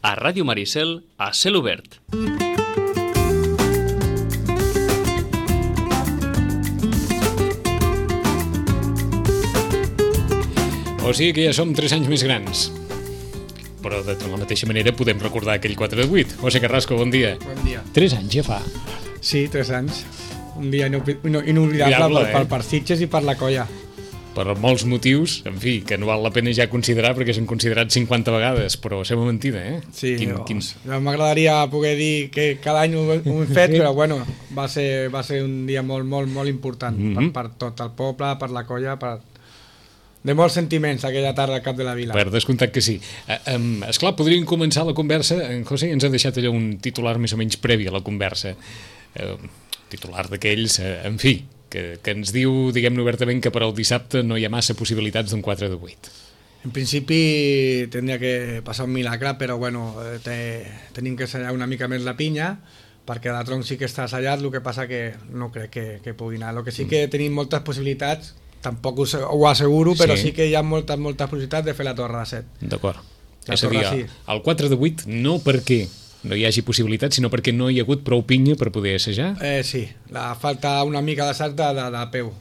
A Ràdio Maricel, a cel obert. O sigui que ja som 3 anys més grans. Però de la mateixa manera podem recordar aquell 4 de 8. José Carrasco, bon dia. Bon dia. 3 anys ja fa. Sí, 3 anys. Un dia inoblidable per Sitges i per la colla. Per molts motius, en fi, que no val la pena ja considerar perquè s'han considerat 50 vegades, però sembla mentida, eh? Sí, m'agradaria poder dir que cada any ho hem fet, però bueno, va ser un dia molt important per tot el poble, per la colla, de molts sentiments aquella tarda al cap de la vila. Per descomptat que sí. Esclar, podríem començar la conversa. En José ens ha deixat allò un titular més o menys previ a la conversa. Titular d'aquells, en fi, que ens diu, diguem-ne obertament, que per al dissabte no hi ha massa possibilitats d'un 4 de 8. En principi tindria que passar un milagre, però bueno, tenim que assallar una mica més la pinya, perquè la tronc sí que està assallat, el que passa que no crec que pugui anar. El que sí que tenim moltes possibilitats, tampoc ho asseguro, però sí que hi ha moltes possibilitats de fer la torre de 7. D'acord. És a dir, el 4 de 8 no perquè no hi hagi possibilitat, sinó perquè no hi ha hagut prou pinya per poder assajar? Sí, falta una mica d'assaig del peu,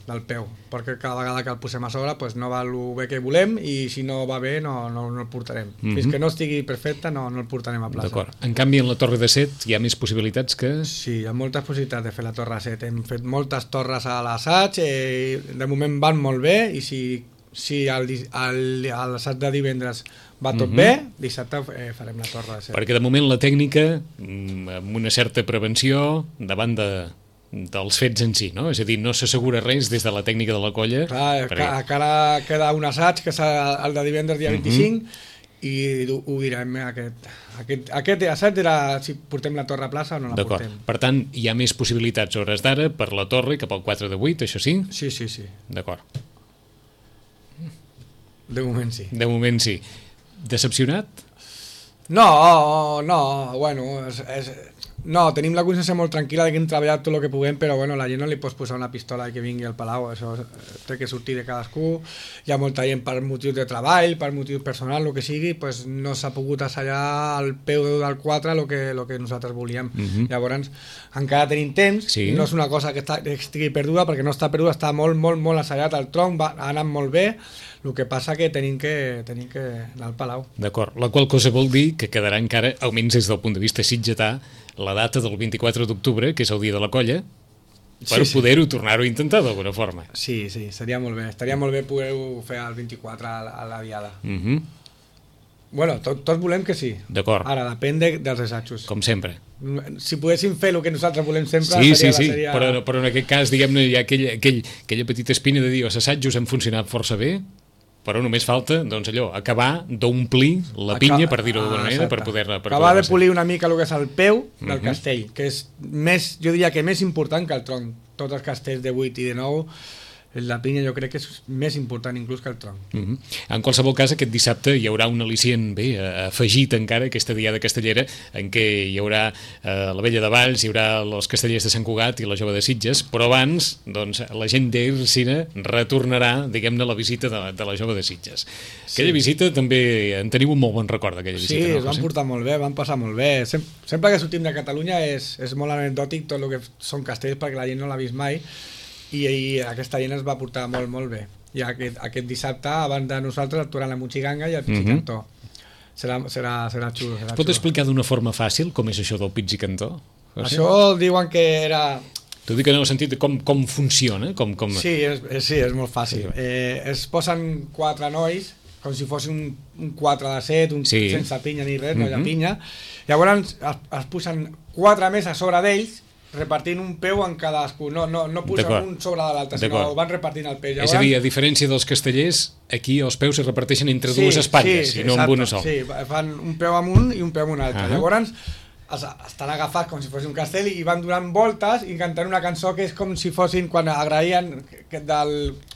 perquè cada vegada que el posem a sobre no va el bé que volem i si no va bé no el portarem. Fins que no estigui perfecte no el portarem a plaça. D'acord. En canvi, en la torre de 7 hi ha més possibilitats que... Sí, hi ha moltes possibilitats de fer la torre de 7. Hem fet moltes torres a l'assaig, de moment van molt bé i si l'assaig de divendres va tot bé, dissabte farem la torre de 7. Perquè de moment la tècnica, amb una certa prevenció davant dels fets en si, no? És a dir, no s'assegura res des de la tècnica de la colla. Clar, encara queda un assaig, que és el de divendres dia 25, i ho direm, aquest assaig era si portem la torre a plaça o no la portem. D'acord, per tant, hi ha més possibilitats hores d'ara per la torre cap al 4 de 8, això sí? Sí. D'acord. De moment sí. De moment sí. Decepcionat? No, bueno, no, tenim la consciència molt tranquil·la de que hem treballat tot el que puguem, però bueno, la gent no li pots posar una pistola i que vingui al Palau, això té que sortir de cadascú. Hi ha molta gent per motius de treball, per motius personals, el que sigui, no s'ha pogut assallar al peu del 4 el que nosaltres volíem. Llavors, encara tenim temps, no és una cosa que estigui perduda, perquè no està perduda, està molt assallat, el tronc ha anat molt bé. El que passa que tenim que anar al Palau. D'acord, la qual cosa vol dir que quedarà encara, almenys des del punt de vista sitgetà, la data del 24 d'octubre, que és el dia de la colla, per poder-ho tornar-ho a intentar d'alguna forma. Sí, seria molt bé. Estaria molt bé poder-ho fer el 24 a la diada. Bueno, tots volem que sí. D'acord. Ara, depèn dels assajos. Com sempre. Si poguéssim fer el que nosaltres volem sempre... Sí, però en aquest cas, diguem-ne, hi ha aquella petita espina de dir els assajos han funcionat força bé, però només falta, doncs allò, acabar d'omplir la pinya, per dir-ho d'alguna manera, per poder-la... Acabar de polir una mica el que és el peu del castell, que és més, jo diria que més important que el tronc. Tots els castells de 8 i de 9, la pinya jo crec que és més important inclús que el tronc. En qualsevol cas, aquest dissabte hi haurà un al·licient afegit encara, aquesta diada castellera, en què hi haurà la Vella de Valls, hi haurà els castellers de Sant Cugat i la Jove de Sitges, però abans, doncs, la gent d'Ercina retornarà, diguem-ne, la visita de la Jove de Sitges. Aquella visita també en teniu un molt bon record, d'aquella visita. Sí, es van portar molt bé, van passar molt bé. Sempre que sortim de Catalunya és molt anecdòtic tot el que són castells, perquè la gent no l'ha vist mai, i aquesta gent es va portar molt bé. I aquest dissabte, abans de nosaltres, actuaran la Mutxiganga i el Pizzicantó. Serà xulo. Es pot explicar d'una forma fàcil com és això del Pizzicantó? Això diuen que era... T'ho dic en el sentit de com funciona? Sí, és molt fàcil. Es posen 4 nois, com si fos un 4 de 7, sense pinya ni res, no hi ha pinya. Llavors es posen 4 més a sobre d'ells, repartint un peu en cadascú, no posen un sobre de l'altre, sinó van repartint el peu. És a dir, a diferència dels castellers, aquí els peus es reparteixen entre dues espatlles i no amb una sola. Sí, fan un peu amb un i un peu amb un altre. Llavors estan agafats com si fos un castell i van donant voltes i cantant una cançó que és com si fossin quan agraïen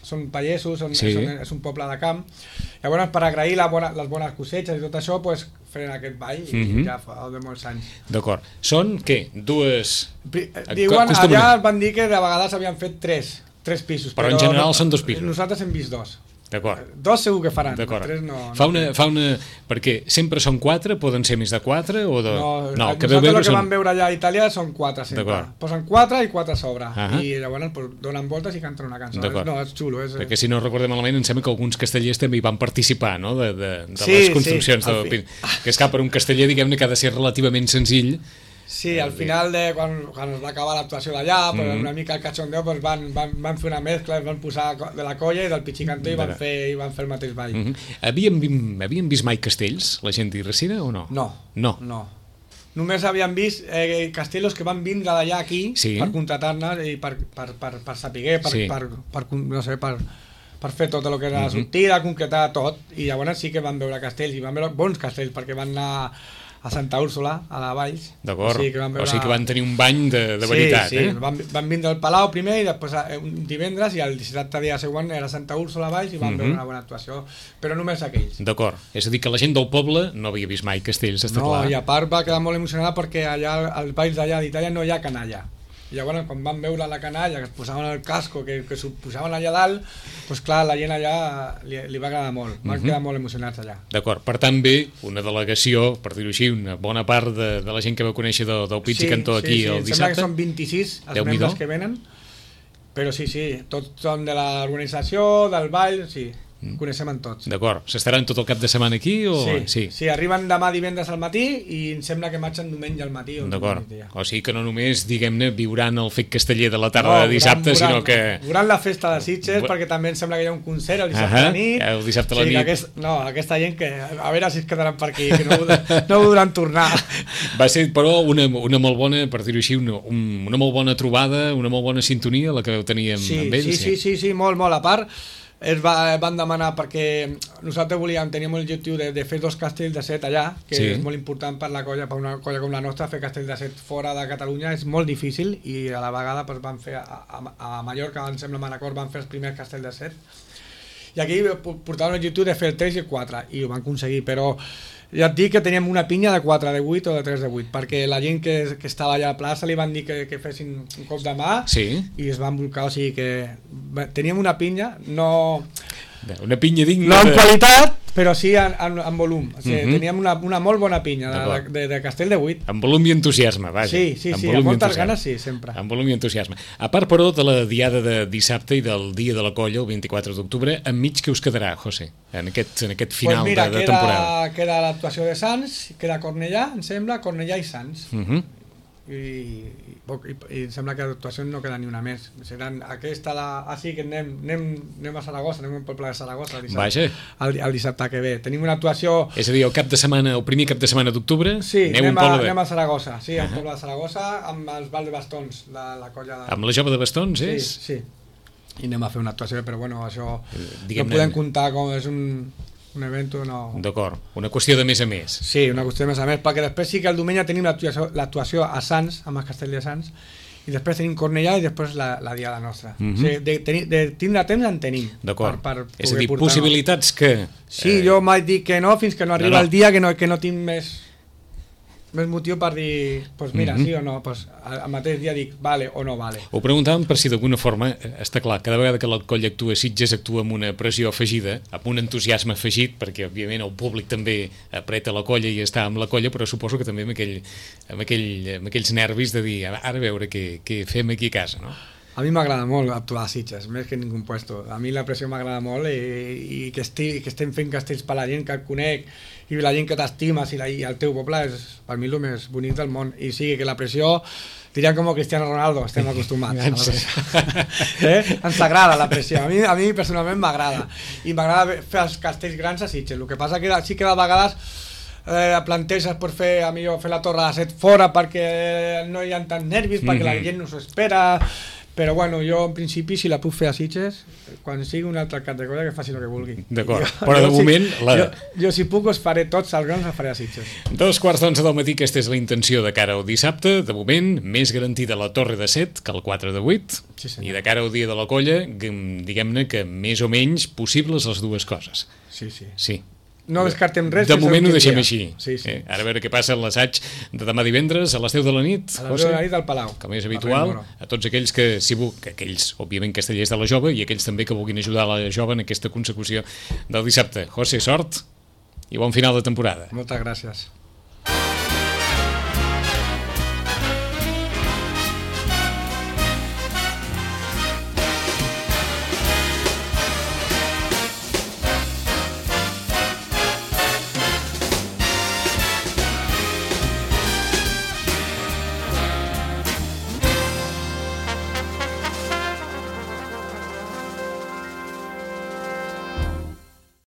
són pallesos, és un poble de camp. Llavors, per agrair les bones coseches i tot això, feien aquest ball i ja fa de molts anys. D'acord. Són, què? Dues... Diuen, allà van dir que de vegades havien fet tres pisos. Però en general són 2 pisos. Nosaltres hem vist 2. D'acord. 2 segur que faran, D'acord. 3 no. Fa una... Perquè sempre són 4, poden ser més de 4 o de... No, el que vam veure allà a Itàlia són 4 sempre. Posen 4 i 4 a sobre. I llavors pues, donen voltes i canten una cançó. No, és xulo. Perquè si no recordem malament, em sembla que alguns castellers també hi van participar, no?, de les construccions. Que és que per un casteller, diguem-ne, que ha de ser relativament senzill. Sí, al final, quan es va acabar l'actuació d'allà, una mica el cachondeo, van fer una mescla, van posar de la colla i del pitxicantó i van fer el mateix ball. Havien vist mai castells, la gent d'Irresina, o no? No. Només havien vist castells que van vindre d'allà aquí per contratar-ne i per saber, per fer tot el que era la sortida, concretar tot, i llavors sí que van veure castells, i van veure bons castells, perquè van anar a Santa Úrsula, a la Valls. D'acord, o sigui que van tenir un bany de veritat. Sí, van vindre al Palau primer i després un divendres i el dissabte dia següent era Santa Úrsula a Valls i van veure una bona actuació, però només aquells. D'acord, és a dir que la gent del poble no havia vist mai castells, està clar. No, i a part va quedar molt emocionada perquè allà als balls d'allà d'Itàlia no hi ha canalla. I llavors quan van veure la canalla, que es posaven el casco, que s'ho posaven allà dalt, doncs clar, la gent allà li va agradar molt, van quedar molt emocionats allà. D'acord, per tant bé, una delegació, per dir-ho així, una bona part de la gent que vau conèixer del Pizzicantó aquí el dissabte. Em sembla que són 26 els membres que venen, però sí, tots són de l'organització, del ball, sí. Coneixem en tots. D'acord, s'estaran tot el cap de setmana aquí? Sí, arriben demà divendres al matí i em sembla que marxen diumenge al matí. D'acord, o sigui que no només, diguem-ne, viuran el fet casteller de la tarda de dissabte, sinó que... Veuran la festa de Sitges, perquè també em sembla que hi ha un concert el dissabte a la nit. El dissabte a la nit. Aquesta gent que a veure si es quedaran per aquí, que no voldran tornar. Va ser, però, una molt bona, per dir-ho així, una molt bona trobada, una molt bona sintonia, la que vau tenir amb ells. Sí, molt, a part... van demanar perquè nosaltres teníem l'objectiu de fer 2 castells de set allà, que és molt important per la colla, per una colla com la nostra. Fer castells de set fora de Catalunya és molt difícil i a la vegada van fer a Mallorca, em sembla, a Manacor van fer els primers castells de set i aquí portaven l'objectiu de fer el 3 i el 4 i ho van aconseguir, però ja et dic que teníem una pinya de 4 de 8 o de 3 de 8, perquè la gent que estava allà a la plaça li van dir que fessin un cop de mà i es van volcar, o sigui que teníem una pinya, no... Una pinya digna... No en qualitat, però sí en volum. O sigui, teníem una molt bona pinya de castell de 8. En volum i entusiasme, vaja. Sí, amb moltes ganes, sí, sempre. En volum i entusiasme. A part, però, de la diada de dissabte i del dia de la colla, el 24 d'octubre, enmig què us quedarà, José, en aquest final de temporada? Queda l'actuació de Sants, queda Cornellà, em sembla, Cornellà i Sants. I em sembla que l'actuació no queda ni una més. Seran aquesta, sí que anem a Saragossa, anem al poble de Saragossa el dissabte que ve. Tenim una actuació... És a dir, el primer cap de setmana d'octubre, anem a Saragossa, al poble de Saragossa, amb els balls de bastons, la colla... Amb la jove de bastons, és? Sí. I anem a fer una actuació, però bueno, això no podem comptar com és un event, no... D'acord, una qüestió de més a més. Sí, una qüestió de més a més, perquè després sí que el diumenge tenim l'actuació a Sants, amb el castell de Sants, i després tenim Cornellà i després la diada nostra. O sigui, de tindre temps en tenim. D'acord, és a dir, possibilitats que... Sí, jo mai dic que no, fins que no arriba el dia que no tinc més motiu per dir, doncs mira, sí o no, doncs al mateix dia dic vale o no vale. Ho preguntàvem per si d'alguna forma, està clar, cada vegada que la colla actua a Sitges actua amb una pressió afegida, amb un entusiasme afegit, perquè òbviament el públic també apreta la colla i està amb la colla, però suposo que també amb aquells nervis de dir, ara a veure què fem aquí a casa, no? A mi m'agrada molt actuar a Sitges, més que en ningú puesto. A mi la pressió m'agrada molt i que estem fent castells per la gent que et conec i la gent que t'estimes i el teu poble és per mi el més bonic del món. I sí, que la pressió, diríem com Cristiano Ronaldo, estem acostumats. Ens agrada la pressió, a mi personalment m'agrada. I m'agrada fer els castells grans a Sitges. El que passa que sí que de vegades planteges per fer la torre de set fora perquè no hi ha tants nervis, perquè la gent no s'ho espera. Però bueno, jo en principi si la puc fer a Sitges, quan sigui una altra categoria que faci el que vulgui. D'acord, però de moment... Jo si puc us faré tots els grans, els faré a Sitges. 2:15 del matí, aquesta és la intenció de cara al dissabte. De moment, més garantida la torre de 7 que el 4 de 8. Sí, i de cara al dia de la colla, diguem-ne que més o menys possibles les dues coses. Sí. Sí. no descartem res. De moment ho deixem dia. així. Sí, sí. Ara a veure què passa en l'assaig de demà divendres a les 10 de la nit. A les 10 de la nit al Palau. Com és habitual, a tots aquells que, aquells, òbviament, castellers de la Jove i aquells també que vulguin ajudar la Jove en aquesta consecució del dissabte. José, sort i bon final de temporada. Moltes gràcies.